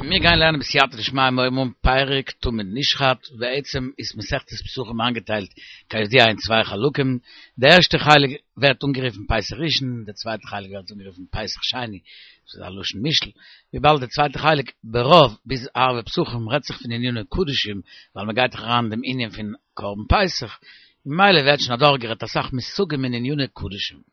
מיר גייען לערנען בסייעתא דשמיא מיר הייבן אן פרק תמיד נשחט, בעצם איז מסכת פסחים איינגעטיילט כידוע אין צוויי חלקים, די ערשטע חלק ווערט אנגערופן פסח ראשון, די צווייטע חלק ווערט אנגערופן פסח שני, דאס איז א לשון מושאל, וויבאלד די צווייטע חלק ברוב ביז ערבי פסחים רעדט זיך פון עניני קדשים, ווייל מען גייט דאך אריין אין דעם ענין פון קרבן פסח, ממילא ווערט שוין אדורכגערעדט אסאך מושגים אין עניני קדשים.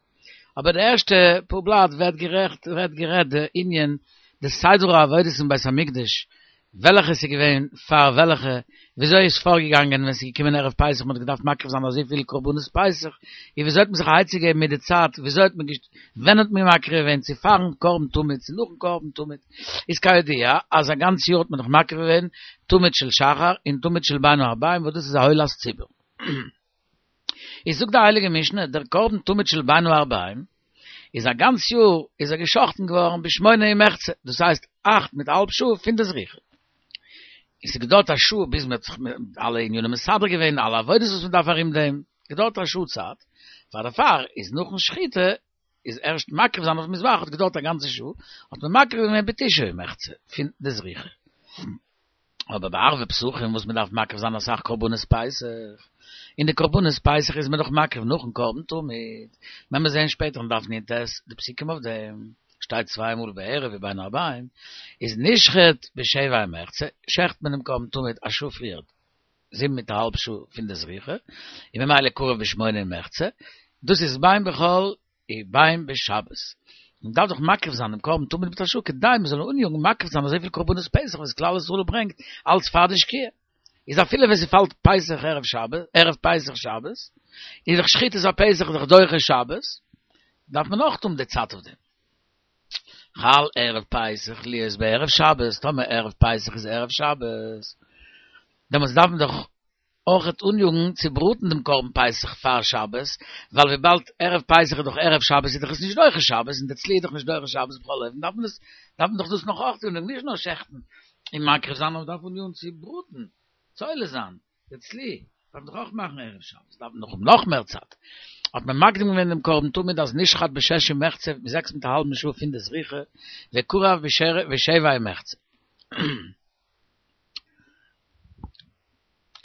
אבער די ערשטע פאר בלאט ווערט גערעכט ווערט גערעדט די ענין די סדר העבודות אין בית המקדש וועלכע ס'איז געווען פאר וועלכע וויאזוי איז פארגעגאנגען ווען ס'איז געקומען ערב פסח מ'האט געדארפט מקריב זיין אזויפיל קרבנות פסח און וויאזוי האט מען זיך א עצה געגעבן מיט די צייט וויאזוי האט מען ווען האט מען מקריב געווען צו פארן קרבן תמיד צו נאכן קרבן תמיד איז כידוע אז א גאנץ יאר האט מען דאך מקריב געווען תמיד של שחר און תמיד של בין הערביים וואס דאס איז א עולת ציבור. איז זאגט די הייליגע משנה, דער קרבן תמיד של בין הערביים, איז א גאנץ יאר איז ער געשחטן געווארן בשמונה ומחצה, דאס הייסט אכט מיט א האלב שעה פון די זריחה. און ס'האט געדויערט א שעה ביז מ'האט זיך אלע ענינים מסדר געווען, אלע עבודות וואס מ'דארף ארום דעם, געדויערט א שעה צייט, פאר דערפאר איז נאכן שחיטה איז ערשט מקריב זיין אויפן מזבח האט געדויערט א גאנצע שעה, האט מען מקריב געווען בתשעה ומחצה פון די זריחה. אבער ביי ערבי פסחים וואס מען דארף מקריב זיין אסאך קרבנות פסח, און די קרבנות פסח איז מען דאך מקריב נאכן קרבן תמיד, וועלן מיר זען שפעטער אין דף נ"ט די פסוקים אויף דעם, שטייט צוויי מאל בערב ובין הערביים, איז נשחט בשבע ומחצה, שעכט מען דעם קרבן תמיד א שעה פריער, זיבן מיט א האלב שעה פון די זריחה, און ממילא קרב בשמונה ומחצה, דאס איז בין בחול ובין בשבת. מען דארף דאך מקריב זיין דעם קרבן תמיד מיט א שעה כדי מען זאל אניאגן מקריב זיין אזויפיל קרבנות פסח וואס כלל ישראל ברענגט אלץ פאר די שקיעה. איז אפילו ווען ס'פאלט פסח ערב שבת, ערב פסח שבת, איז דאך שחיטת הפסח דאך דוחה שבת, דארף מען אויך האבן די צייט אויף דעם. חל ערב פסח להיות בערב שבת, טאמער ערב פסח איז ערב שבת, דעמאלטס דארף מען דאך אויכעט אניאגן צו בראטן דעם קרבן פסח פאר שבת, ווייל וויבאלד ערב פסח איז דאך ערב שבת איז דאך עס נישט דוחה שבת, און די צלי איז דאך נישט דוחה שבת בכל אופן דארף מען עס דארף מען דאך דאס נאך אויך אניאגן, נישט נאר שעכטן און מקריב זיין נאר מ'דארף אניאגן צו בראטן, צו עולה זיין, די צלי דארף מען דאך אויך מאכן ערב שבת, דארף מען דאך האבן נאך מער צייט. האט מען מקדים געווען דעם קרבן תמיד אז נשחט בשש ומחצה, זעקס מיט א האלבן שעה פון די זריחה, וקרב בשבע ומחצה.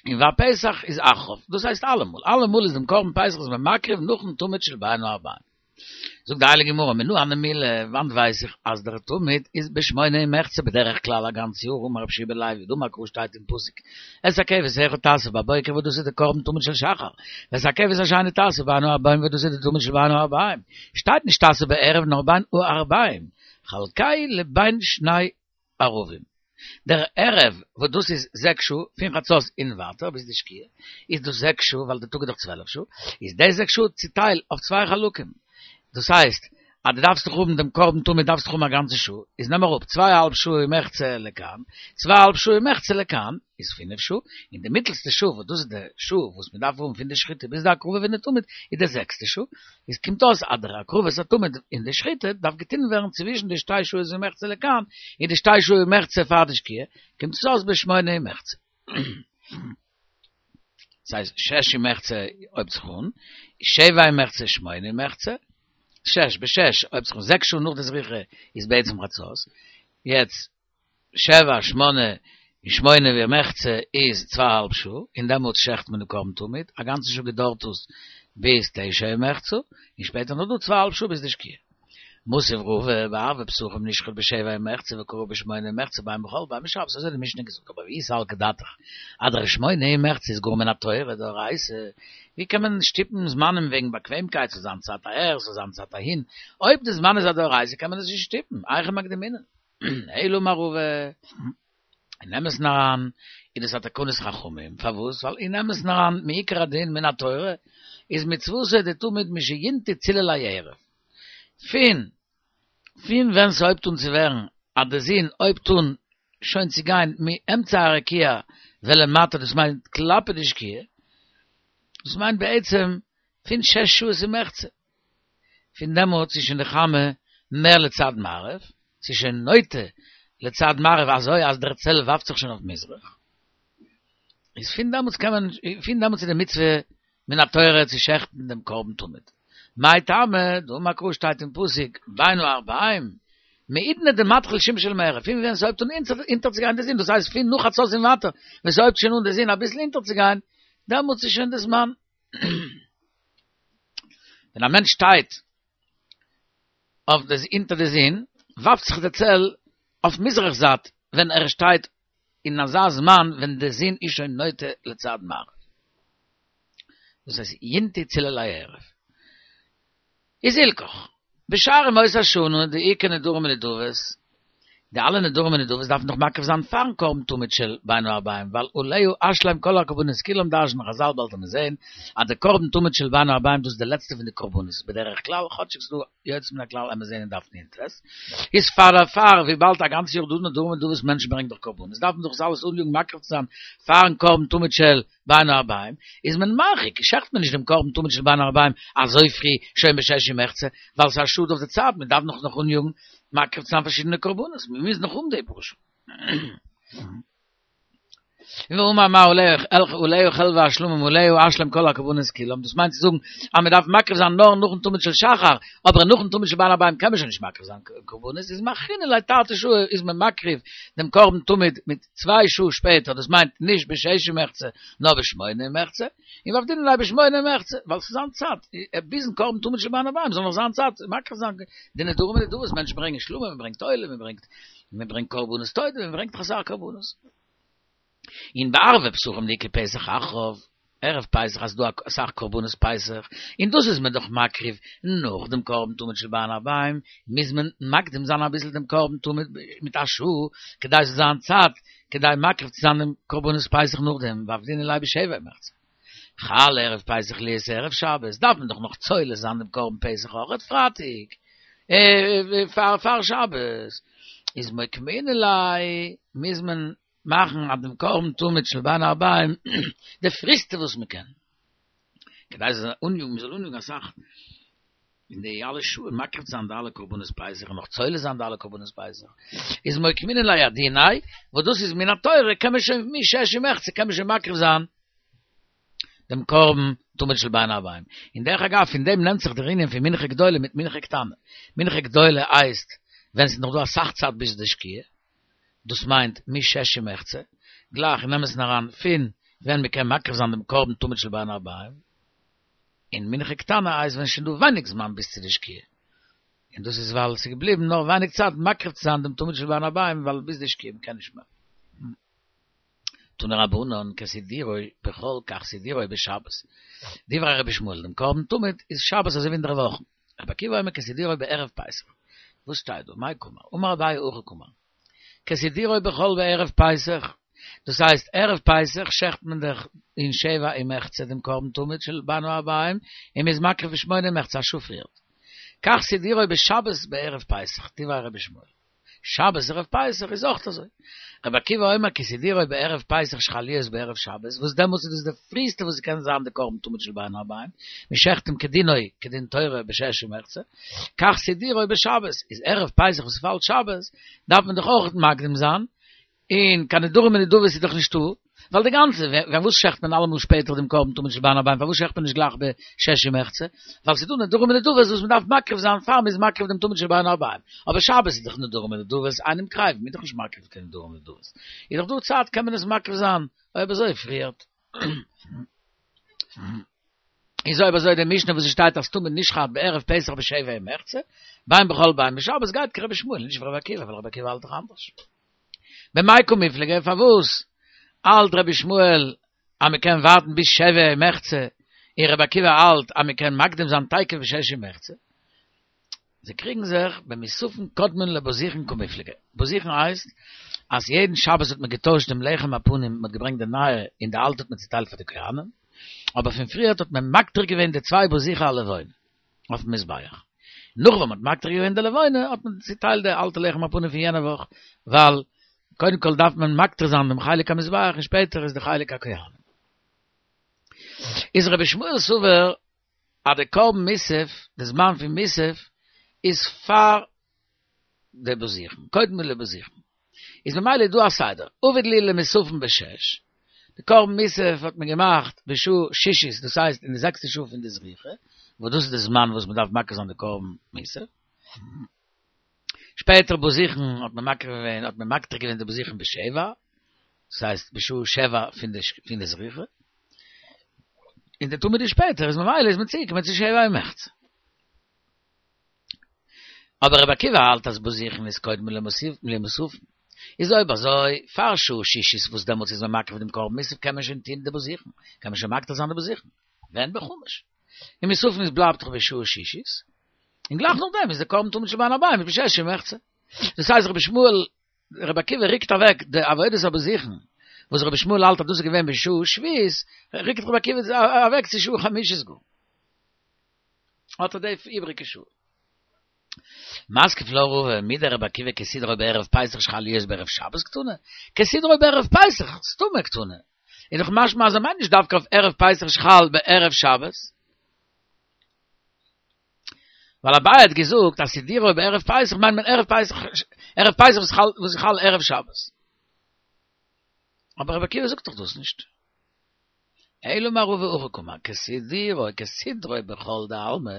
און והפסח איז אחריו, דאס הייסט אלעמאל, אלעמאל איז דעם קרבן פסח איז מען מקריב נאכן תמיד של בין הערביים. זאגט די הייליגע גמרא, מנא הני מילי, וואנט ווייס איך אז דער תמיד איז בשמונה ומחצה בדרך כלל א גאנץ יאר, אמר רבי יהושע בן לוי, דאמר קרא שטייט אין פסוק, את הכבש האחד תעשה בבוקר וואס דאס איז די קרבן תמיד של שחר, ואת הכבש השני תעשה בין הערבים וואס דאס איז די תמיד של בין הערביים, שטייט נישט תעשה בערב נאר בין הערביים, חלקהו לבין שני ערבים. דער ערב וואס דאס איז זעקס שעה, פון חצות און ווייטער ביז די שקיעה, איז דאס זעקס שעה, ווייל די טאג איז דאך צוועלף שעה, איז די זעקס שעה צוטייל אויף צוויי חלקים. דאס הייסט, אז דו דארפסט דאך האבן דעם קרבן תמיד דארפסט דאך האבן א גאנצע שעה, איז נעם אראפ צוויי א האלב שעה ומחצה לכאן, צוויי א האלב שעה ומחצה לכאן, איז פינף שעה, און די מיטלסטע שעה וואס דאס איז די שעה וואס מען דארף האבן פון די שחיטה ביז די הקרבה פון די תמיד, איז די זעקסטע שעה, איז קומט אויס אז דער הקרבת התמיד און די שחיטה דארף געטון ווערן צווישן די שתי שעות ומחצה לכאן און די שתי שעות ומחצה פאר די שקיעה, קומט עס אויס בשמונה ומחצה. דאס הייסט שש ומחצה הויבט זיך אן, שבע ומחצה שמונה ומחצה, שש בשש הויבט זיך אן זעקס שעה נאך די זריחה איז בעצם חצות, יעצט שבע, שמונה, און שמונה ומחצה איז צוויי אהאלב שעה, און דעמאלטס שעכט מען די קרבן תמיד, א גאנצע שעה געדויערט עס ביז תשע ומחצה, און שפעטער נאך דא צוויי אהאלב שעה ביז די שקיעה. מתיב רבא, בערבי פסחים נשחט בשבע ומחצה וקרב בשמונה ומחצה בין בחול בין בשבת, אזוי האט די משנה געזאגט, אבער ואי סלקא דעתך, אז דער שמונה ומחצה איז גאר מן התורה דאורייתא, ווי קען מען שטופן זמנים וועגן באקוועמקייט, ס'זאל זיין צייט אהער, ס'זאל זיין צייט אהין, אויב די זמן איז א דאורייתא קען מען עס נישט שטופן, היכי מקדמינן. אלא אמר רבא, אין אמת'ן אריין איז דאס א תקנת חכמים, פארוואס? ווייל אין אמת'ן אריין מעיקר הדין מן התורה איז מצוותא דתמיד משינטו צללי הערב, פון פון ווען ס'הויבט אן צו ווערן אז די זון הויבט אן שוין צו גיין מאמצע הרקיע ולמטה דאס מיינט כלפי די שקיעה, דאס מיינט בעצם פון שש שעות ומחצה. פון דעמאלטס איז שוין די חמה מער לצד מערב, ס'איז שוין נוטה לצד מערב אזוי אז דער צל ווארפט זיך שוין אויף מזרח, איז פון דעמאלטס קען מען, פון דעמאלטס איז די מצוה מן התורה צו שעכטן דעם קרבן תמיד. מאי טעמא, דאמר קרא שטייט אין פסוק בין הערבים. מעידנא דמתחיל שמשא למערב, פון ווען ס'הויבט אן אונטערצוגיין די זון, דאס הייסט פון נאך חצות און ווייטער, ווען ס'הויבט שוין אן די זון אביסל אונטערצוגיין, דעמאלטס איז שוין די זמן. ווען א מענטש שטייט אויף די אונטער די זון, ווארפט זיך די צל אויף מזרח זייט, ווען ער שטייט אין אזא זמן ווען די זון איז שוין נוטה לצד מערב. דאס הייסט ינטו צלו לערב. איז הלכך, בשאר ימות השנה דאיכא נדרים ונדבות, די אלע נדרים ונדבות דארף מען דאך מקריב זיין פארן קרבן תמיד של בין הערביים, ווייל עליה אשלם כל הקרבנות כולם דרש'נען חזל באלד וועט מען זעהן אז די קרבן תמיד של בין הערביים דאס איז די לעצטע פון די קרבנות בדרך כלל, כאטשיג ס'דא יוצא מן הכלל עמער זעהן אין דף נ"ט, איז פאר דערפאר וויבאלד א גאנץ יאר דא נדרים ונדבות מענטשן ברענגען דאך קרבנות דארף מען דאך עס אלעס אניאגן מקריב צו זיין פארן קרבן תמיד של בין הערביים, איז מען מרחיק, שעכט מען נישט דעם קרבן תמיד של בין הערביים אזוי פרי, שוין בשש ומחצה, ווייל ס'איז א שאד אויף די צייט, מען דארף נאך נאך אניאגן מקריב צו זיין פארשידענע קרבנות, מען מוז נאך האבן די פאר שעה. ואמר מר עליה חלבי השלמים עליה אשלם כל הקרבנות כולם, דאס מיינט צו זאגן אז מען דארף מקריב זיין נאר נאכן תמיד של שחר, אבער נאכן תמיד של בין הערביים קען מען שוין נישט מקריב זיין קרבנות, איז מאחרינן ליה תרתי שעי איז מען מקריב דעם קרבן תמיד מיט צוויי שעה שפעטער, דאס מיינט נישט בשש ומחצה נאר בשמונה ומחצה, און ועבדינן ליה בשמונה ומחצה, ווייל ס'איז זיין צייט, ביזן קרבן תמיד של בין הערביים זאל נאך זיין צייט מקריב זיין די נדרים ונדבות, מענטשן ברענגען שלמים, מען ברענגט עולה, מען ברענגט מען ברענגט קרבנות תודה, מען ברענגט אסאך קרבנות. און בערבי פסחים דאיכא פסח אחריו, ערב פסח אז ס'דא אסאך קרבנות פסח, און דאס איז מען דאך מקריב נאך דעם קרבן תמיד של בין הערביים, מוז מען מקדים זיין אביסל דעם קרבן תמיד מיט א שעה, כדי ס'זאל זיין צייט כדי מקריב צו זיין דעם קרבנות פסח נאכדעם, ועבדינן ליה בשבע ומחצה. חל ערב פסח להיות ערב שבת, דארף מען דאך נאך צולה זיין דעם קרבן פסח אויכעט פרייטאג, פאר שבת, איז מוקמינן ליה, מוז מען מאכן אט דעם קרבן תמיד של בין הערביים די פריסטע וואס מען קען, כדי זיי זאלן אניאגן, מען זאל אניאגן אסאך אין די אלע שעה מקריב זיין די אלע קרבנות פסח און נאך צולה זיין די אלע קרבנות פסח, איז מוקמינן ליה עדיניה, וואס דאס איז מן התורה קען מען שוין משש ומחצה קען מען שוין מקריב זיין דעם קרבן תמיד של בין הערביים. און דרך אגב פון דעם נעמט זיך דער ענין פון מנחה גדולה מיט מנחה קטנה. מנחה גדולה הייסט ווען ס'איז נאך דא אסאך צייט ביז די שקיעה, דאס מיינט משש ומחצה, גלייך אין אמת'ן אריין פון ווען מ'קען מקריב זיין דעם קרבן תמיד של בין הערביים, און מנחה קטנה הייסט ווען ס'שוין דא ווייניג זמן ביז צו די שקיעה, און דאס איז ווייל ס'איז געבליבן נאר ווייניג צייט מקריב צו זיין דעם תמיד של בין הערביים ווייל ביז די שקיעה מ'קען נישט מער. תנו רבנן כסידורו בחול כך סידורו בשבת, דברי רבי ישמעאל דעם קרבן תמיד איז שבת אזוי ווי אינדערוואכן, רבי עקיבא אומר כסידורו בערב פסח, וואס שטייט דא? מאי קאמר? אמר אביי הכי קאמר, כסידורו בחול בערב פסח, דאס הייסט ערב פסח שעכט מען דאך אין שבע ומחצה דעם קרבן תמיד של בין הערביים און מ'איז מקריב בשמונה ומחצה א שעה פריערט, כך סידורו בשבת בערב פסח, דברי רבי ישמעאל. שבת ערב פסח איז אויך אזוי. רבי עקיבא אומר כסידורו בערב פסח שחל להיות בערב שבת, וואס דעמאלטס איז דאס די פריסטע וואס ס'קען זיין די קרבן תמיד של בין הערביים, מ'שעכט אים כדינו כדין תורה בשש ומחצה, כך סידורו בשבת, איז ערב פסח וואס פאלט שבת, דארף מען דאך אויך מקדים זיין, און קיין נדרים ונדבות איז דאך נישטא, ווייל די גאנצע, ווען וואס שעכט מען אלעמאל שפעטער דעם קרבן תמיד של בין הערביים, פארוואס שעכט מען נישט גלייך בשש ומחצה? ווייל ס'איז דא נדרים ונדבות וואס מ'דארף מקריב זיין פאר מ'איז מקריב דעם תמיד של בין הערביים, אבער שבת איז דאך נדרים ונדבות אינם קריבין, מ'איז דאך נישט מקריב קיין נדרים ונדבות, איז דאך דא צייט קען מען עס מקריב זיין אויב אזוי פריערט. איז אויב אזוי די משנה וואס ס'שטייט אז תמיד נשחט בערב פסח בשבע ומחצה, בין בחול בין בשבת גייט כרבי ישמעאל, נישט ווי רבי עקיבא, ווייל רבי עקיבא האלט דאך אנדערש. במאי קמיפלגי פארוואס האלט רבי ישמעאל אז מען קען ווארטן ביז שבע ומחצה און רבי עקיבא האלט אז מען קען מקדים זיין תיכף בשש ומחצה? זיי קריגן זיך במוספין קודמין לבוזיכין קמיפלגי. בוזיכין הייסט אז יעדן שבת האט מען געטוישט דעם לחם הפנים, מען האט געברענגט די נייע און די אלטע האט מען צוטיילט פאר די כהנים, אבער פון פריערט האט מען מקטיר געווען די צוויי בוזיכי הלבונה. אויפן מזבח. נאך ווען מ'האט מקטיר געווען די לבונה האט מען צוטיילט די אלטע לחם הפנים פון יענע וואך, ווייל קודם כל דארף מען מקטיר זיין דעם חלק המזבח און שפעטער איז די חלק הכהנים. איז רבי ישמעאל סובר אז די קרבן מוסף, די זמן פון מוסף, איז פאר די בוזיכן, קודם לבוזיכן. איז ממילא איז דא א סדר, עביד להו למוספין בשש, די קרבן מוסף האט מען געמאכט בשעה שישית, דאס הייסט אין די זעקסטע שעה פון די זריחה, וואס דאס איז די זמן וואס מען דארף מקריב זיין די קרבן מוסף. שפעטער בוזיכן האט מען מקריב געווען, האט מען מקטיר געווען די בוזיכן בשבע, דאס הייסט בשעה שבע פון די פון די זריחה, און די תמיד איז שפעטער, איז ממילא איז מען צוגעקומען צו שבע ומחצה. אבער רבי עקיבא האלט אז בוזיכן איז קודם למוספין. איז אויב אזוי, פאר שעה שישית וואס דעמאלטס איז מען מקריב דעם קרבן מוסף קען מען שוין טוהן די בוזיכן, קען מען שוין מקטיר זיין די בוזיכן. ווען בחמש. און מוספין איז בלייבט דאך בשעה שישית, און גלייך נאכדעם איז די קרבן תמיד של בין הערבים איז בשש ומחצה. דאס הייסט רבי ישמעאל, רבי עקיבא ריקט אוועק די עבודת הבוזיכן, וואס רבי ישמעאל האלט אז דאס איז געווען בשעה שביעית, ריקט רבי עקיבא אוועק צו שעה חמישית גאר. האט ער די איבריגע שעה. מתקיף לה רבא מדרבי עקיבא כסדרו בערב פסח שחל להיות בערב שבת קתני, כסדרו בערב פסח סתמא קתני, איז דאך משמע אז ער מיינט נישט דווקא אויף ערב פסח שחל בערב שבת, ווייל אביי האט געזאגט אז סידורו בערב פסח מיינט מען ערב פסח, ערב פסח וואס איז חל ערב שבת. אבער רבי עקיבא זאגט דאך דאס נישט. אלא אמר רבא הכי קאמר, כסדרו כסדרו בחול דעלמא,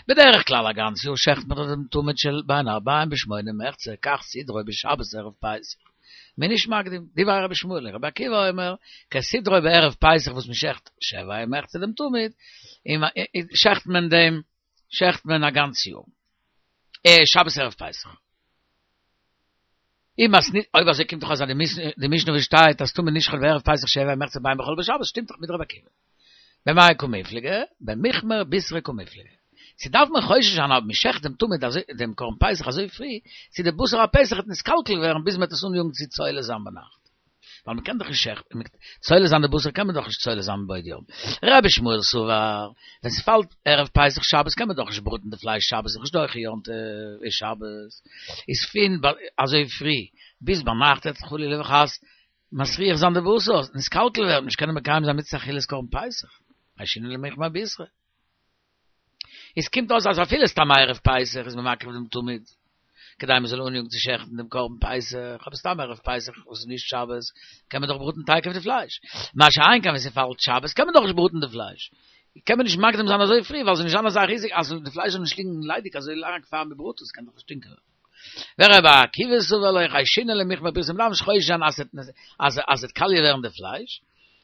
בדרך כלל א גאנץ יאר שעכט מען דאך דעם תמיד של בין הערבים בשמונה ומחצה, כך סדרו בשבת ערב פסח, מ'איז נישט מקדים, דברי רבי ישמעאל, רבי עקיבא אומר, כסדרו בערב פסח וואס מען שעכט שבע ומחצה דעם תמיד, שעכט מען דעם שעכט מען א גאנץ יאר, שבת ערב פסח. אי מתני, אויב אזוי קומט דאך אויס אז די משנה וואס שטייט אז תמיד נשחט בערב פסח שבע ומחצה בין בחול בשבת שטימט דאך מיט רבי עקיבא. במאי קמיפלגי? במיכמר בישרא קמיפלגי. צו דארף מען חושש זיין אויב מ'שעכט דעם תמיד אזוי דעם קרבן פסח אזוי פרי, צו די בשר הפסח וועט נתקלקל ווערן ביז מ'וועט עס אניאגן צו צולה זיין ביינאכט. ווייל מ'קען דאך נישט שעכטן, צולה זיין די בשר קען מען דאך נישט צולה זיין מבעוד יום. רבי ישמעאל סבר, ווען ס'פאלט ערב פסח שבת קען מען דאך נישט בראטן די פלייש שבת איז נישט דוחה יום טוב איז שבת, איז פון אזוי פרי ביז ביינאכט וועט חלילה וחס מסריח זיין די בשר, נתקלקל ווערן, נישט קענען מקיים זיין מצות אכילת קרבן פסח, חיישינן למיכמר בישרא. עס קומט אויס אז אפילו סתם ערב פסח איז מען מקריב דעם תמיד, כדי מען זאל אניאגן צו שעכטן דעם קרבן פסח, אבער סתם ערב פסח וואס איז נישט שבת קען מען דאך בראטן תיכף די פלייש, מה שאין כן ווען ס'פאלט שבת קען מען דאך נישט בראטן די פלייש, קען מען נישט מקדים זיין אזוי פרי ווייל ס'זאל נישט זיין אזא ריזיק אז די פלייש זאל נישט ליגן ליידיג אזוי לאנג פאר מען בראט עס, קען דאך שטינקען. ורבי עקיבא סבר לא חיישינן למיכמר בישרא מ'דארף נישט חושש זיין אז אז אז ס'וועט קאליע ווערן די פלייש,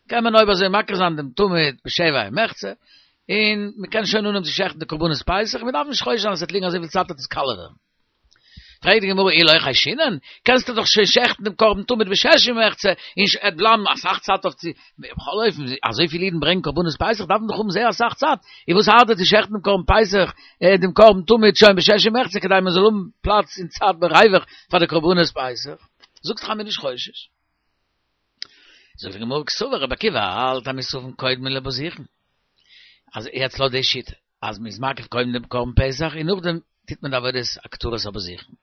קען מען אויב אזוי מקריב זיין דעם תמיד בשבע ומחצה, און מען קען שוין אנהויבן צו שעכטן די קרבנות פסח, מען דארף נישט חושש זיין אז עס וועט ליגן אזויפיל צייט וועט עס קאליע ווערן. פרעגט די גמרא אי לא חיישינן, קענסטו דאך שוין שעכטן דעם קרבן תמיד בשש ומחצה, און עס וועט בלייבן אסאך צייט אויף צו, בכל אופן, אזויפיל אידן ברענגען קרבנות פסח דארף מען דאך האבן זייער אסאך צייט, און וואס ארט דיר צו שעכטן דעם קרבן פסח, דעם קרבן תמיד שוין בשש ומחצה כדי מען זאל האבן פלאץ און צייט בריווח פאר די קרבנות פסח? זאגסט דאך אז מען איז נישט חושש. זאגט די גמרא קסבר רבי עקיבא האלט אז מוספין קודמין לבוזיכין, אז יעצט לויט די שיטה אז מ'איז מקריב קודם דעם קרבן פסח און נאכדעם טוט מען די עבודת הקטרת הבוזיכין,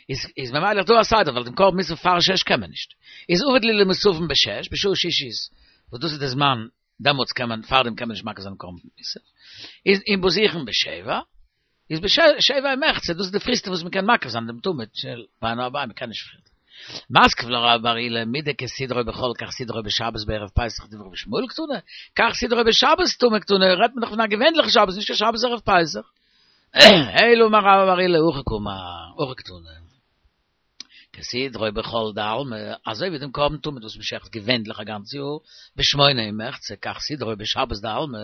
איז איז ממילא דא א סדר ווייל דעם קרבן מוסף פאר שש קען מען נישט, איז עביד להו למוספין בשש בשעה שישית וואס דאס איז די זמן דעמאלטס קען מען פארדעם קען מען נישט מקריב זיין דעם קרבן מוסף, איז און בוזיכין בשבע איז בשבע ומחצה, דאס איז די פריסטע וואס מ'קען מקריב זיין דעם תמיד של בין הערבים, מ'קען נישט פריער. מתקיף לה רבה בר עולא מדכסדרו בחול כך סדרו בשבת בערב פסח דברי רבי ישמעאל קתני, כך סדרו בשבת סתמא קתני, רעדט מען דאך פון א געווענליכע שבת נישט קיין שבת ערב פסח. אלא אמר רבה בר עולא הכי קאמר, הכי קתני. כסדרו בחול דעלמא, אזוי ווי דעם קרבן תמיד וואס מ'שעכט געווענליך א גאנץ יאר, בשמונה ומחצה, כך סדרו בשבת דעלמא,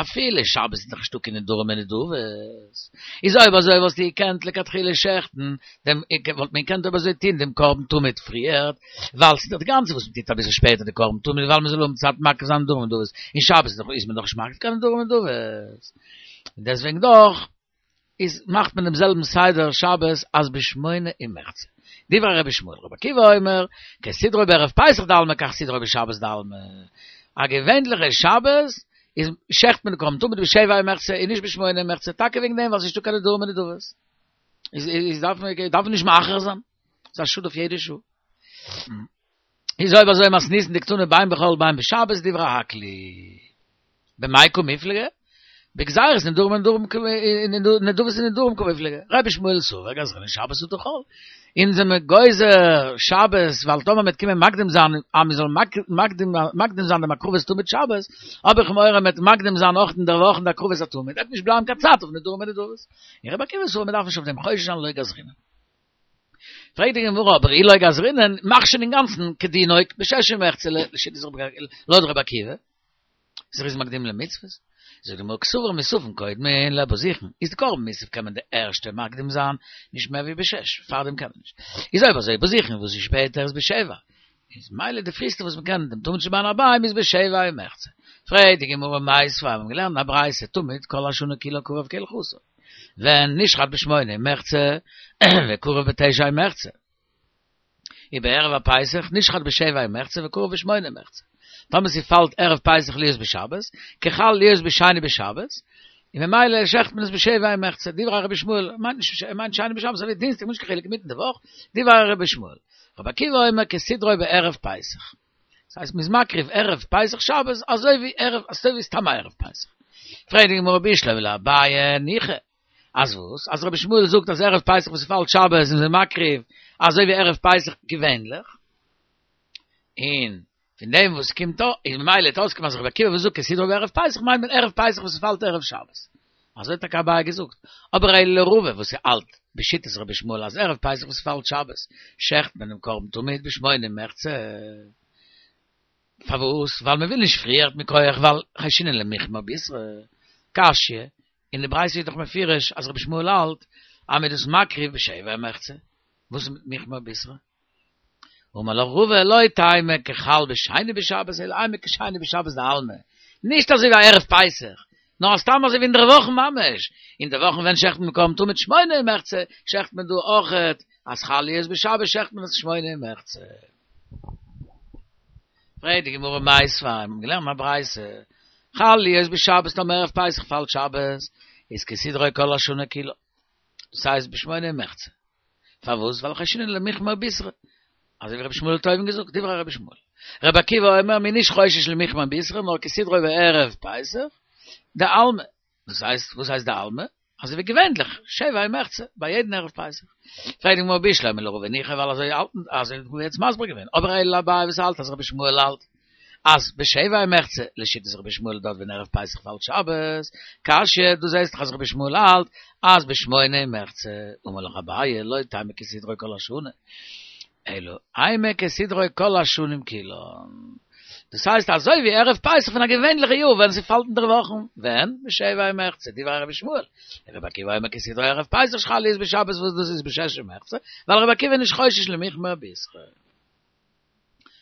אפילו שבת איז דאך נישטא קיין נדרים און נדבות, איז אויב אזוי וואלסטו געקענט לכתחילה שעכטן דעם, וואלט מען געקענט אויב אזוי טון דעם קרבן תמיד פריערט, ווייל ס'איז דאך די גאנצע וואס מ'טוט אביסל שפעטער די קרבן תמיד ווייל מ'זאל האבן צייט מקריב זיין נדרים ונדבות, און שבת איז מען דאך נישט מקריב קיין נדרים ונדבות, און דעסוועגן דאך. איז מאכט מען דעם זעלבן סדר שבת אז בשמונה ומחצה. דברי רבי ישמעאל, רבי עקיבא אומר, כסדרו בערב פסח דעלמא כך סדרו בשבת דעלמא. א געווענליכע שבת איז שעכט מען די קרבן תמיד בשבע ומחצה און נישט בשמונה ומחצה, טאקע וועגן דעם ווייל ס'איז נישטא קיין נדרים ונדבות. איז איז דארף מען דארף מען נישט מאחר זיין. ס'איז א שאד אויף יעדע שעה. איז אויב אזוי מתניתין דקתני בין בחול בין בשבת דברי הכל היא. במאי קמיפלגי? בגזירת נדרים ונדרים נדבות ונדרים קמיפלגי. רבי ישמעאל סבר גזרינן שבת אטו חול. אונז זעמיר גוזר שבת ווייל טאמער מ'וועט קומען מקדים זיין אז מ'זאל מקדים זיין דעם הקרבת תמיד שבת, האב איך מורא מ'וועט מקדים זיין אויך אינדערוואכן די הקרבת התמיד, וועט נישט בלייבן קיין צייט אויף נדרים ונדבות. און רבי עקיבא סבר מ'דארף נישט אויף דעם חושש זיין לא גזרינן. פרעגט די גמרא אבער אי לא גזרינן, מאך שוין אינגאנצן כדינו בשש ומחצה לשיטת רבי לויט רבי עקיבא, זריזין מקדימין למצוות, זאגט די גמרא קסבר מוספין קודמין לבזיכין, איז די קרבן מוסף קען מען די ערשטע מקדים זיין נישט מער ווי בשש, פארדעם קען מען נישט, איז אויב אזוי בזיכין וואס איז שפעטער איז בשבע, איז ממילא די פריסטע וואס מען קען דעם תמיד של בין הערביים איז בשבע ומחצה. פרעגט די גמרא מיתיבי, מיר האבן געלערנט א ברייתא תמיד כל השנה כולה קרב כהלכתו, ווען נשחט בשמונה ומחצה וקרב בתשע ומחצה, ובערב הפסח נשחט בשבע ומחצה וקרב בשמונה ומחצה. טאמער ס'פאלט ערב פסח להיות בשבת, כחל להיות בשני בשבת, און ממילא שעכט מען עס בשבע ומחצה, דברי רבי ישמעאל, מיינט נישט, מיינט שני בשבת אזוי ווי דינסטאג, נישט קיין חילוק אינמיטן די וואך, דברי רבי ישמעאל. רבי עקיבא אומר כסדרו בערב פסח. דאס הייסט מ'איז מקריב ערב פסח שבת אזוי ווי ערב אזוי ווי סתם א ערב פסח. פרעגט די גמרא בשלמא לאביי ניחא. אז וואס? אז רבי ישמעאל זאגט אז ערב פסח וואס ס'פאלט שבת איז מען מקריב אזוי ווי ערב פסח געווענליך. און פון דעם וואס קומט אויס איז ממילא וועט אויסקומען אז רבי עקיבא וואס זאגט כסדרו בערב פסח מיינט מען ערב פסח וואס ס'פאלט ערב שבת. אזוי האט טאקע אביי געזאגט. אבער אלא לרבא וואס האלט בשיטת רבי ישמעאל אז ערב פסח וואס ס'פאלט שבת שעכט מען דעם קרבן תמיד בשמונה ומחצה. פארוואס? ווייל מ'וויל נישט פריערט מכח ווייל חיישינן למיחמר בישרא. קשיא, אין די ברייתא איז דאך מפורש אז רבי ישמעאל האלט אז מ'איז דאס מקריב בשבע ומחצה. וואס איז מיט מיחמר בישרא? אמר לך רבא לא תימא כחל בשני בשבת אלא אימא כשני בשבת דעלמא, נישט אזוי ווי א ערב פסח, נאר סתם אזוי ווי אינדערוואכן ממש, אינדערוואכן ווען שעכט מען קרבן תמיד שמונה ומחצה, שעכט מען דא אויכעט אז חל להיות בשבת שעכט מען עס שמונה ומחצה. פרעגט די גמרא מיתיבי, מיר האבן געלערנט א ברייתא, חל להיות בשבת טאמער ערב פסח פאלט שבת, איז כסדרו כל השנה כולה, דאס הייסט בשמונה ומחצה, פארוואס? ווייל חיישינן למיחמר בישרא. אזוי ווי רבי ישמעאל האט אויבן געזאגט, דברי רבי ישמעאל. רבי עקיבא אומר מ'איז נישט חושש למיחמר בישרא, נאר כסדרו בערב פסח, דעלמא. דאס הייסט, וואס הייסט דעלמא? אזוי ווי געווענליך, שבע ומחצה, ביי יעדן ערב פסח. פרעגט די גמרא בשלמא לרבא ניחא ווייל אזוי האלטן, אזוי האט מען יעצט מסביר געווען. אבער אלא לאביי וואס האלט אז רבי ישמעאל האלט אז בשבע ומחצה, לשיטת רבי ישמעאל דארט ווען ערב פסח פאלט שבת, קשיא, דו זעסט דאך אז רבי ישמעאל האלט אז בשמונה ומחצה, אמר לך אביי לא תימא כסדרו כל השנה, אלא אימא כסדרו כל השנים כולן. דאס הייסט אזוי ווי ערב פסח פון א געווענליכע יאר ווען ס'פאלט אינדערוואכן, ווען? בשבע ומחצה, דברי רבי ישמעאל. רבי עקיבא אומר כסדרו ערב פסח שחל להיות בשבת וואס דאס איז בשש ומחצה, ווייל רבי עקיבא איז נישט חושש למיחמר בישרא.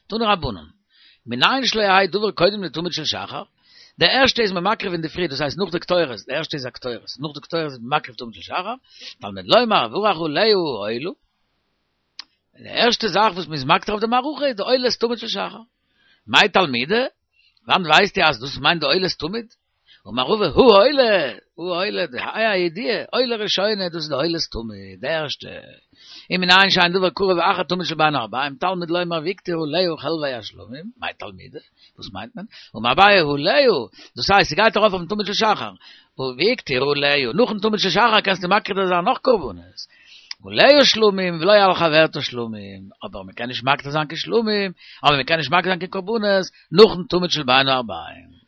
תנו רבנן, מנין שלא יהא דבר קודם לתמיד של שחר, די ערשטע איז מען מקריב אין די פרי, דאס הייסט נאך די קטורת, די ערשטע איז א קטורת, נאך די קטורת איז מען מקריב תמיד של שחר, תלמוד לומר וברך עליה העולה, די ערשטע זאך וואס מען איז מקטיר אויף די מערכה איז די עולת תמיד של שחר. מאי תלמודא? וואנעט ווייסטו אז דאס מיינט די עולת תמיד? אמר רבא העולה, העולה, די ה' הידיעה, עולה ראשונה, דאס איז די עולת תמיד, די ערשטע. ומנין שאין דבר קרב אחר תמיד של בין הערביים, תלמוד לומר והקטיר עליה חלבי השלמים, מאי תלמודא? וואס מיינט מען? אמר אביי עליה, דאס הייסט ס'גייט ארויף אויפן תמיד של שחר, והקטיר עליה, נאכן תמיד של שחר קענסטו מקטיר זיין נאך קרבנות. עליה שלמים ולא על חברתה שלמים, אבער מ'קען נישט מקטיר זיין קיין שלמים, אבער מ'קען נישט מקטיר זיין קיין קרבנות נאכן תמיד של בין הערביים.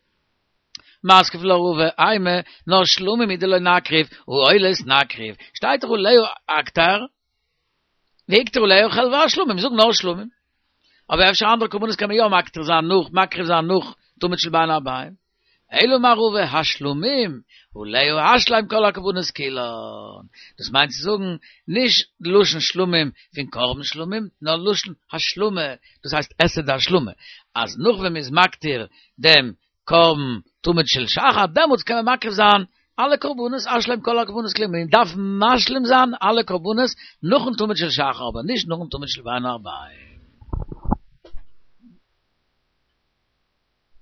מתקיף לה רבא, אימא, נאר שלמים הוא דלא נקריב, הא עולות נקריב, שטייט דאך עליה אקטר, והקטיר עליה חלבי השלמים, זאג נאר שלמים. אבער אפשר אנדערע קרבנות קען מען יא מקטיר זיין נאך, מקריב זיין נאך תמיד של בין הערביים. אלא אמר רבא, השלמים, עליה השלם כל הקרבנות כולן. דאס מיינט צו זאגן, נישט לשון שלמים פון קרבן שלמים, נאר לשון השלמה, דאס הייסט עשה דהשלמה, אז נאך ווען מ'איז מקטיר דעם קרבן תמיד של שחר, דעמאלטס קען מען מקריב זיין אלע קרבנות, השלם כל הקרבנות כולן, מען דארף משלים זיין אלע קרבנות נאכן תמיד של שחר, אבער נישט נאכן תמיד של בין הערביים.